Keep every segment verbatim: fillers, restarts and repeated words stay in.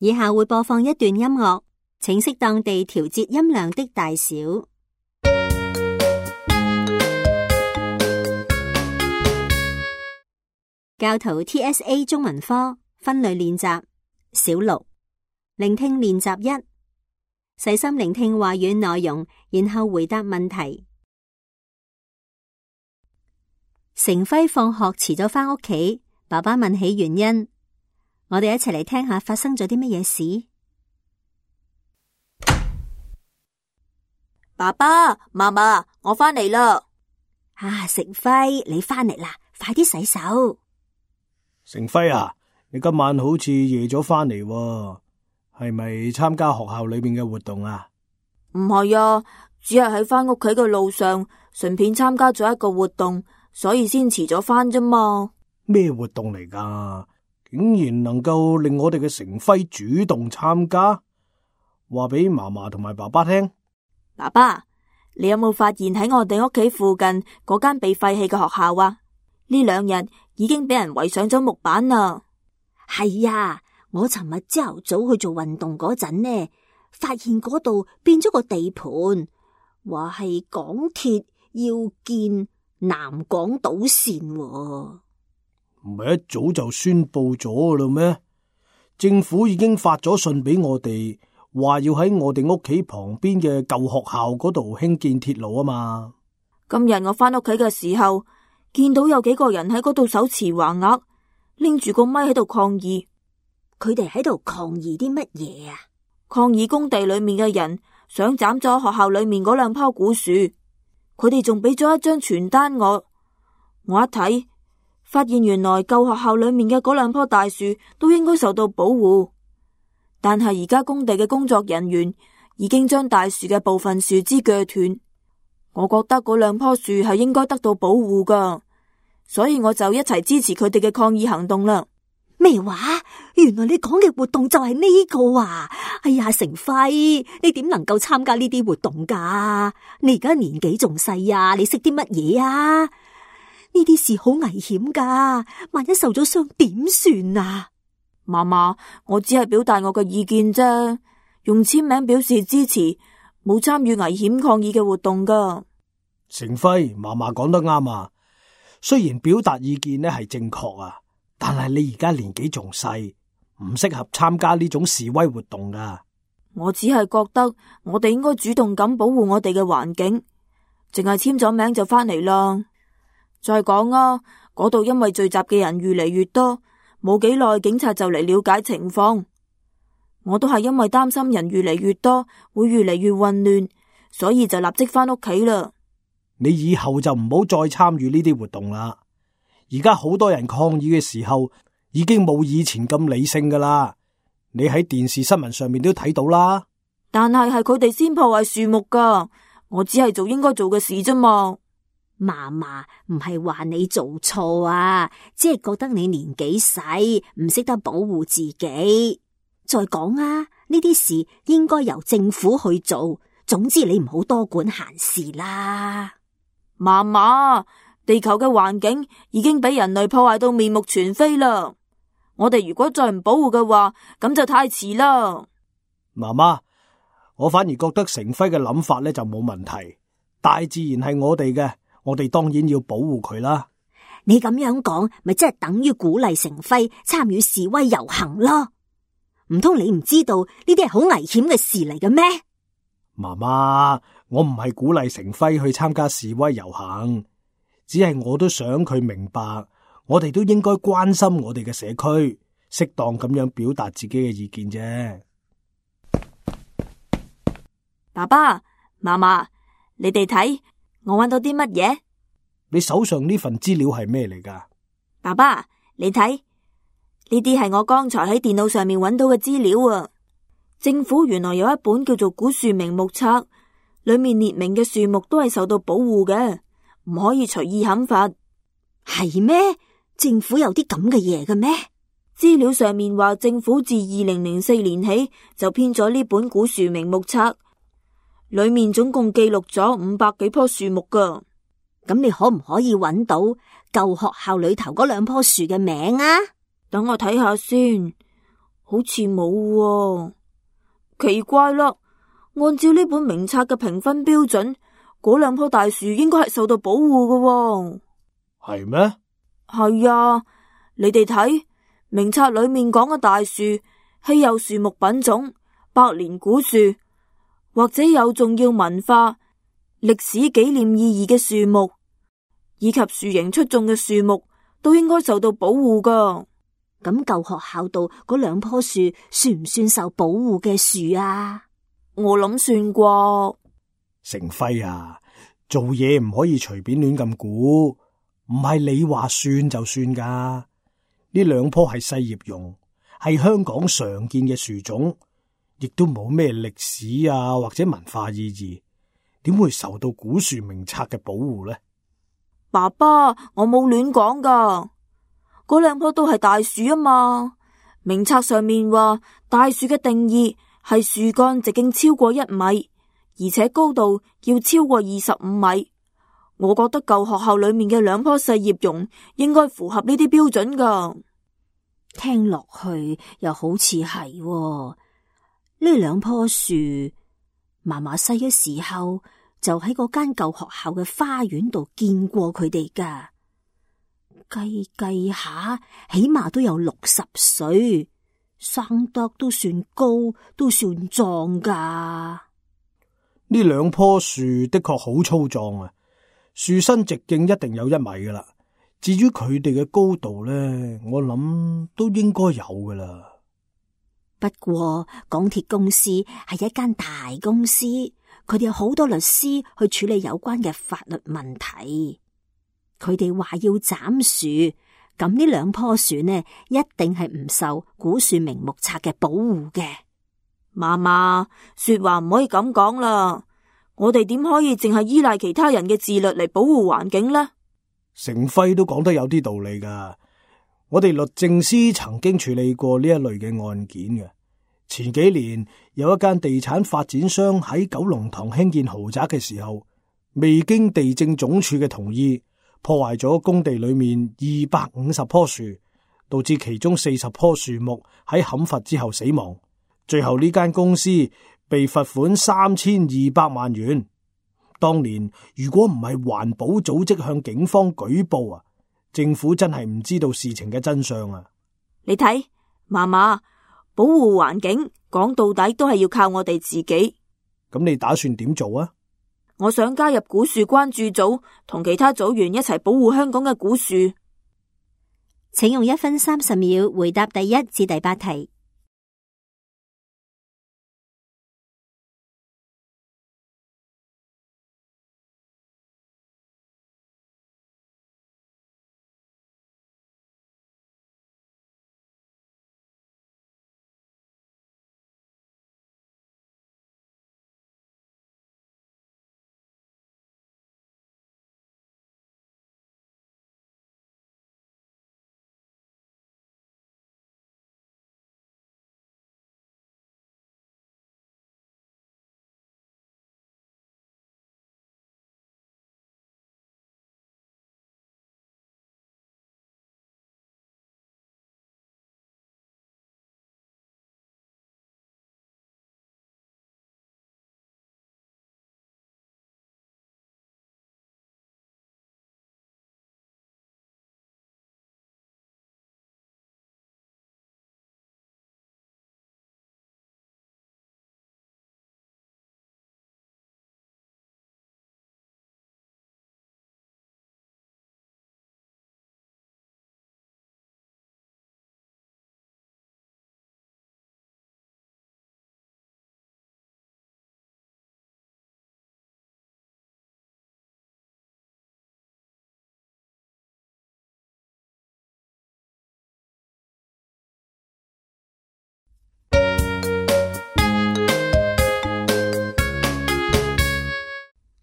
以下會播放一段音樂，請適當地調節音量的大小。教徒 T S A 中文科分類練習小六，聆聽練習一，細心聆聽話語內容，然後回答問題。成輝放學遲咗返屋企，爸爸問起原因，我哋一齊嚟聽下發生咗啲乜嘢事。爸爸媽媽，我返嚟啦！啊，成輝，你返嚟啦，快啲洗手。成輝啊，你今晚好似夜咗返嚟喎，係咪參加學校裏面嘅活動啊？唔係啊，只係喺返屋企嘅路上，順便參加咗一個活動，所以先遲咗返啫嘛。咩活動嚟㗎？竟然能夠令我哋嘅成輝主動參加，話俾嫲嫲同埋爸爸聽。爸爸，你有冇發現喺我哋屋企附近嗰間被廢棄嘅學校啊？呢兩日已經俾人圍上咗木板啦。係啊，我尋日朝頭早去做運動嗰陣呢，發現嗰度變咗個地盤，話係港鐵要建南港島綫喎。唔係一早就宣佈咗㗎啦咩？政府已經發咗信俾我哋，話要喺我哋屋企旁邊嘅舊學校嗰度興建鐵路啊嘛。今日我返屋企嘅時候，見到有幾個人喺嗰度手持橫額，拎住個咪喺度抗議。佢哋喺度抗議啲乜嘢啊？抗議工地裏面嘅人想斬咗學校裏面嗰兩棵古樹。佢哋仲俾咗一張傳單我，我一睇，發現原來舊學校裏面嘅嗰兩棵大樹都應該受到保護，但係而家工地嘅工作人員已經將大樹嘅部分樹枝鋸斷。我覺得嗰兩棵樹係應該得到保護噶，所以我就一齊支持佢哋嘅抗議行動啦。咩話？原來你講嘅活動就係呢個啊！哎呀，成輝，你點能夠參加呢啲活動噶？你而家年紀仲細啊，你識啲乜嘢啊？呢啲事好危險噶，萬一受咗傷點算啊？媽媽，我只係表達我嘅意見啫，用簽名表示支持，冇參與危險抗議嘅活動噶。成輝，嫲嫲講得啱啊！雖然表達意見呢係正確啊，但係你而家年紀仲細，唔適合參加呢種示威活動噶。我只係覺得我哋應該主動咁保護我哋嘅環境，淨係簽咗名就返嚟啦。再講啊，嗰度因為聚集嘅人越嚟越多，冇幾耐警察就嚟了解情況。我都係因為擔心人越嚟越多，會越嚟越混亂，所以就立即返屋企啦。你以後就唔好再參與呢啲活動啦。而家好多人抗議嘅時候，已經冇以前咁理性噶啦。你喺電視新聞上面都睇到啦。但係係佢哋先破壞樹木噶，我只係做應該做嘅事啫嘛。嫲嫲唔係話你做錯啊，只係覺得你年紀細，唔識得保護自己。再講啊，呢啲事應該由政府去做。總之你唔好多管閒事啦。嫲嫲，地球嘅環境已經俾人類破壞到面目全非啦。我哋如果再唔保護嘅話，咁就太遲啦。媽媽，我反而覺得成輝嘅諗法呢就冇問題。大自然係我哋嘅，我哋當然要保護佢啦。你咁樣講，咪即係等於鼓勵成輝參與示威遊行咯？唔通你唔知道呢啲係好危險嘅事嚟嘅咩？媽媽，我唔係鼓勵成輝去參加示威遊行，只係我都想佢明白，我哋都應該關心我哋嘅社區，適當咁樣表達自己嘅意見啫。爸爸媽媽，你哋睇，我揾到啲乜嘢？你手上呢份資料係咩嚟㗎？爸爸，你睇，呢啲係我剛才喺電腦上面揾到嘅資料啊！政府原來有一本叫做《古樹名目冊》，裏面列明嘅樹木都係受到保護嘅，唔可以隨意砍伐。係咩？政府有啲咁嘅嘢嘅咩？資料上面話，政府自二零零四年起就編咗呢本《古樹名目冊》，裏面總共記錄咗五百幾棵樹木噶。咁你可唔可以揾到舊學校裏頭嗰兩棵樹嘅名啊？等我睇下先。好似冇喎，奇怪啦！按照呢本名冊嘅評分標準，嗰兩棵大樹應該係受到保護嘅喎。係咩？係啊，你哋睇名冊裏面講嘅大樹、稀有樹木品種、百年古樹，或者有重要文化、歷史紀念意義嘅樹木，以及樹形出眾嘅樹木，都應該受到保護噶。咁舊學校度嗰兩棵樹算唔算受保護嘅樹啊？我諗算啩。成輝啊，做嘢唔可以隨便亂咁估，唔係你話算就算噶。呢兩棵係細葉榕，係香港常見嘅樹種，亦都冇咩歷史啊或者文化意義，點會受到古樹名冊嘅保護呢？爸爸，我冇亂講噶，嗰兩棵都係大樹啊嘛。名冊上面話大樹嘅定義係樹幹直徑超過一米，而且高度要超過二十五米。我覺得舊學校裏面嘅兩棵細葉榕應該符合呢啲標準噶。聽落去又好似係喎，呢兩棵樹，嫲嫲細嘅時候就喺嗰間舊學校嘅花園度見過佢哋噶。計計下，起碼都有六十歲，生得都算高，都算壯噶。呢兩棵樹的確好粗壯啊，樹身直徑一定有一米噶啦。至於佢哋嘅高度呢，我諗都應該有噶啦。不過港鐵公司係一間大公司，佢哋有好多律師去處理有關嘅法律問題。佢哋話要斬樹，咁呢兩棵樹呢，一定係唔受古樹名目冊嘅保護嘅。嫲嫲，說話唔可以咁講啦，我哋點可以淨係依賴其他人嘅自律嚟保護環境呢？成輝都講得有啲道理噶。我哋律政司曾經處理過呢一類嘅案件嘅。前幾年有一間地產發展商喺九龍塘興建豪宅嘅時候，未經地政總署嘅同意，破壞咗工地裏面二百五十棵樹，導致其中四十棵樹木喺砍伐之後死亡。最後呢間公司被罰款三千二百萬元。當年如果唔係環保組織向警方舉報啊，政府真係唔知道事情嘅真相啊！你睇，嫲嫲，保護環境講到底都係要靠我哋自己。咁你打算點做啊？我想加入古樹關注組，同其他組員一齊保護香港嘅古樹。請用一分三十秒回答第一至第八題。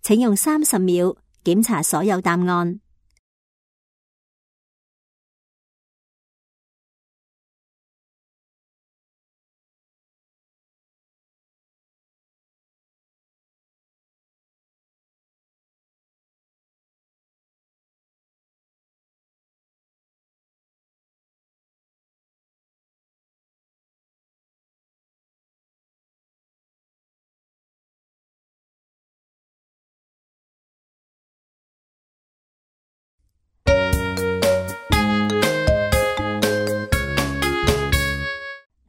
請用三十秒檢查所有答案。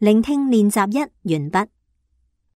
聆聽練習一完畢。